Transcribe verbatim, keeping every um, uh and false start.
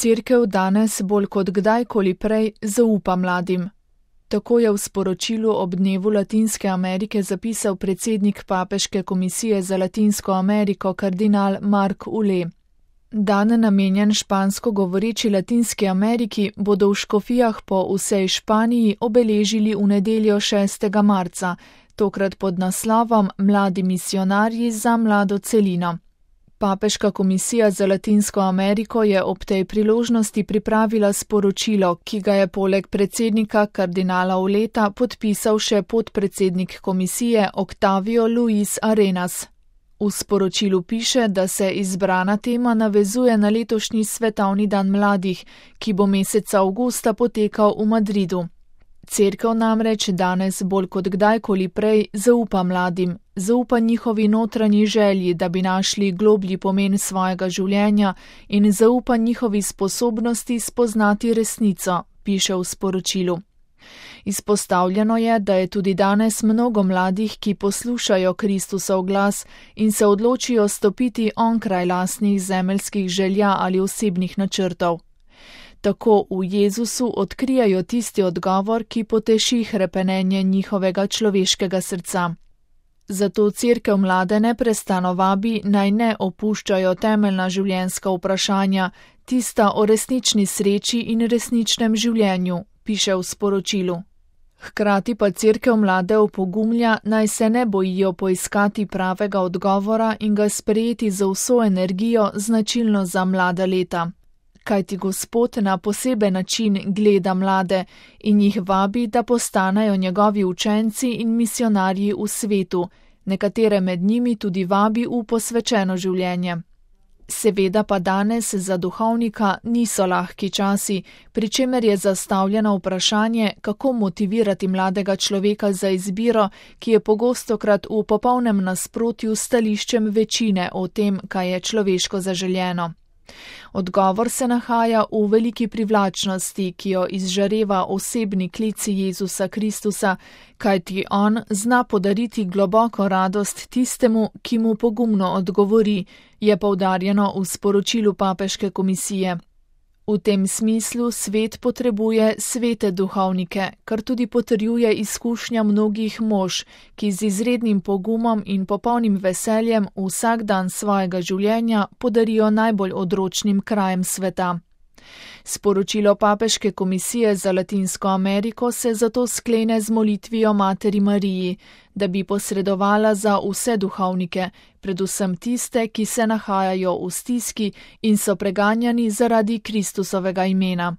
Cerkev danes bolj kot kdajkoli prej zaupa mladim. Tako je v sporočilu ob dnevu Latinske Amerike zapisal predsednik Papeške komisije za Latinsko Ameriko kardinal Mark Ule. Dan namenjen špansko govoreči Latinski Ameriki bodo v škofijah po vsej Španiji obeležili v nedeljo šestega marca, tokrat pod naslovom Mladi misionarji za mlado celino. Papeška komisija za Latinsko Ameriko je ob tej priložnosti pripravila sporočilo, ki ga je poleg predsednika kardinala Uleta podpisal še podpredsednik komisije Octavio Luis Arenas. V sporočilu piše, da se izbrana tema navezuje na letošnji svetovni dan mladih, ki bo meseca avgusta potekal v Madridu. Cerkev namreč danes bolj kot kdajkoli prej zaupa mladim, zaupa njihovi notranji želji, da bi našli globlji pomen svojega življenja in zaupa njihovi sposobnosti spoznati resnico, piše v sporočilu. Izpostavljeno je, da je tudi danes mnogo mladih, ki poslušajo Kristusov glas in se odločijo stopiti onkraj lastnih zemeljskih želja ali osebnih načrtov. Tako v Jezusu odkrijajo tisti odgovor, ki poteši hrepenenje njihovega človeškega srca. Zato Cerkev mlade neprestano vabi, naj ne opuščajo temeljna življenjska vprašanja, tista o resnični sreči in resničnem življenju, piše v sporočilu. Hkrati pa Cerkev mlade opogumlja, naj se ne bojijo poiskati pravega odgovora in ga sprejeti z vso energijo, značilno za mlada leta. Kajti Gospod na poseben način gleda mlade in jih vabi, da postanejo njegovi učenci in misionarji v svetu, nekatere med njimi tudi vabi v posvečeno življenje. Seveda pa danes za duhovnika niso lahki časi, pri čemer je zastavljeno vprašanje, kako motivirati mladega človeka za izbiro, ki je pogostokrat v popolnem nasprotju s stališčem večine o tem, kaj je človeško zaželjeno. Odgovor se nahaja v veliki privlačnosti, ki jo izžareva osebni klic Jezusa Kristusa, kajti on zna podariti globoko radost tistemu, ki mu pogumno odgovori, je poudarjeno v sporočilu Papeške komisije. V tem smislu svet potrebuje svete duhovnike, kar tudi potrjuje izkušnja mnogih mož, ki z izrednim pogumom in popolnim veseljem vsak dan svojega življenja podarijo najbolj odročnim krajem sveta. Sporočilo Papeške komisije za Latinsko Ameriko se zato sklene z molitvijo Materi Mariji, da bi posredovala za vse duhovnike, predvsem tiste, ki se nahajajo v stiski in so preganjani zaradi Kristusovega imena.